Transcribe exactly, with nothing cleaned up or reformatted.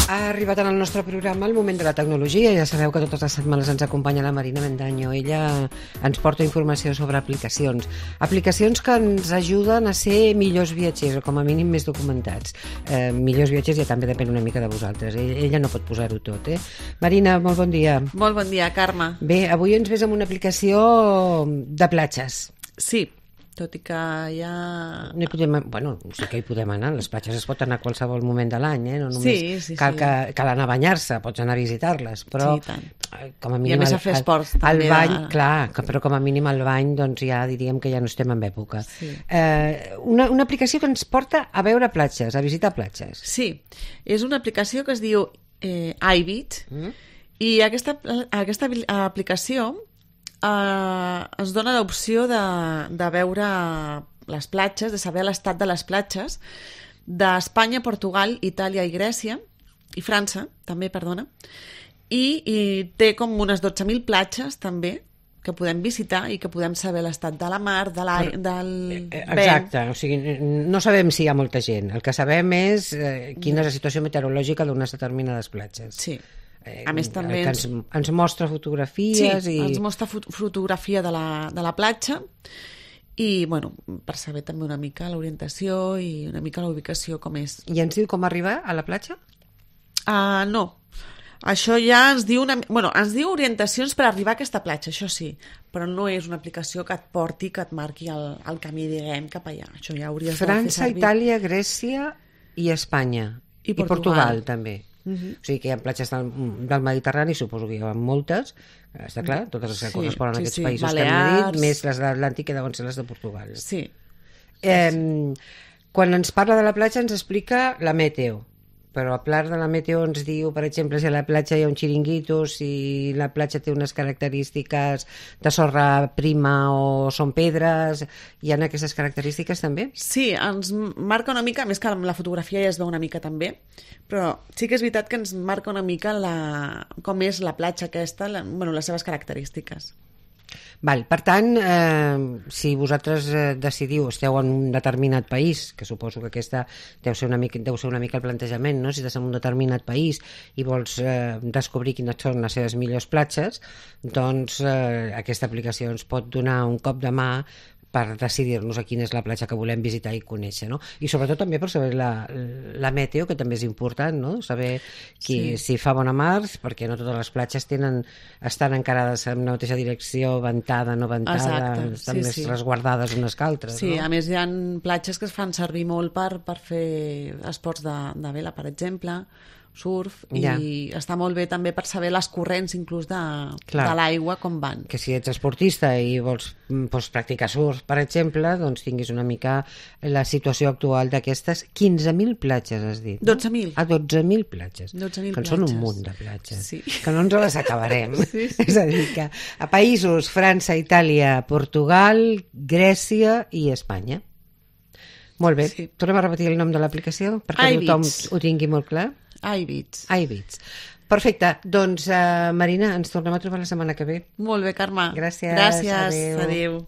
Ha arribat en el nostre programa el moment de la tecnologia. Ja sabeu que totes les setmanes ens acompanya la Marina Mendaño. Ella ens porta informació sobre aplicacions. Aplicacions que ens ajuden a ser millors viatgers, o com a mínim més documentats. Eh, millors viatgers ja també depèn una mica de vosaltres. Ella no pot posar-ho tot, eh? Marina, molt bon dia. Molt bon dia, Carme. Bé, avui ens ves amb una aplicació de platges. Sí, tot i que ja... No hi podem, bueno, sí que hi podem anar. Les platges es pot anar a qualsevol moment de l'any, eh? No només sí, sí, cal, sí. Que, cal anar a banyar-se, pots anar a visitar-les, però sí, tant. Com a mínim... I a més a fer esports, el, també. El bany, de... clar, però com a mínim al bany, doncs ja diríem que ja no estem en època. Sí. Eh, una, una aplicació que ens porta a veure platges, a visitar platges. Sí, és una aplicació que es diu eh, iBeach, mm. i aquesta, aquesta aplicació eh, ens dona l'opció de, de veure les platges, de saber l'estat de les platges d'Espanya, Portugal, Itàlia i Grècia, i França, també, perdona, i, i té com unes dotze mil platges, també, que podem visitar i que podem saber l'estat de la mar, de l'aire, del vent. Exacte, o sigui, no sabem si hi ha molta gent. El que sabem és eh, quina és la situació meteorològica d'unes determinades platges. Sí. A més, també ens, ens, ens mostra fotografies. Sí, i... ens mostra fot fotografia de la, de la platja i, bueno, per saber també una mica l'orientació i una mica la ubicació com és. I ens diu com arribar a la platja? Uh, no. Això ja ens diu una... Bueno, ens diu orientacions per arribar a aquesta platja, això sí, però no és una aplicació que et porti, que et marqui el, el camí, diguem, cap allà. Això ja hauries França, de fer servir. Itàlia, Grècia i Espanya. I Portugal, I Portugal també. Uh -huh. O sigui que hi ha platges del, del Mediterrani, suposo que hi ha moltes, està clar, totes les que sí, corresponen sí, a aquests sí. països Balears, que hem dit, més les de l'Atlàntic que deuen ser les de Portugal. Sí. Eh, quan ens parla de la platja ens explica la meteo, però a part de la meteo ens diu, per exemple, si a la platja hi ha un xiringuito, si la platja té unes característiques de sorra prima o són pedres, hi ha aquestes característiques també? Sí, ens marca una mica, més que la fotografia ja es veu una mica també, però sí que és veritat que ens marca una mica la, com és la platja aquesta, la, bueno, les seves característiques. Val, per tant, eh, si vosaltres eh, decidiu, esteu en un determinat país, que suposo que aquesta deu ser una mica, deu ser una mica el plantejament, no? Si estàs en un determinat país i vols eh, descobrir quines són les seves millors platges, doncs eh, aquesta aplicació ens pot donar un cop de mà per decidir-nos a quina és la platja que volem visitar i conèixer, no? I sobretot també per saber la, la meteo, que també és important, no? Saber qui, sí. si fa bona mar, perquè no totes les platges tenen, estan encarades en la mateixa direcció, ventada, no ventada, Exacte. estan sí, més sí. resguardades unes que altres, sí, no? A més hi ha platges que es fan servir molt per, per fer esports de, de vela, per exemple, surf, ja. i està molt bé també per saber les corrents inclús de, de l'aigua com van. Que si ets esportista i vols, vols practicar surf, per exemple, doncs tinguis una mica la situació actual d'aquestes quinze mil platges, has dit, no? dotze mil. Ah, dotze mil platges. dotze mil que en platges. són un munt de platges. Sí. Que no ens les acabarem. sí, sí. És a dir, que a països, França, Itàlia, Portugal, Grècia i Espanya. Molt bé. Sí. Tornem a repetir el nom de l'aplicació perquè tothom ho tingui molt clar. iBeach. iBeach. Perfecte. Doncs, uh, Marina, ens tornem a trobar la setmana que ve. Molt bé, Carme. Gràcies. Gràcies. Adéu. Adéu.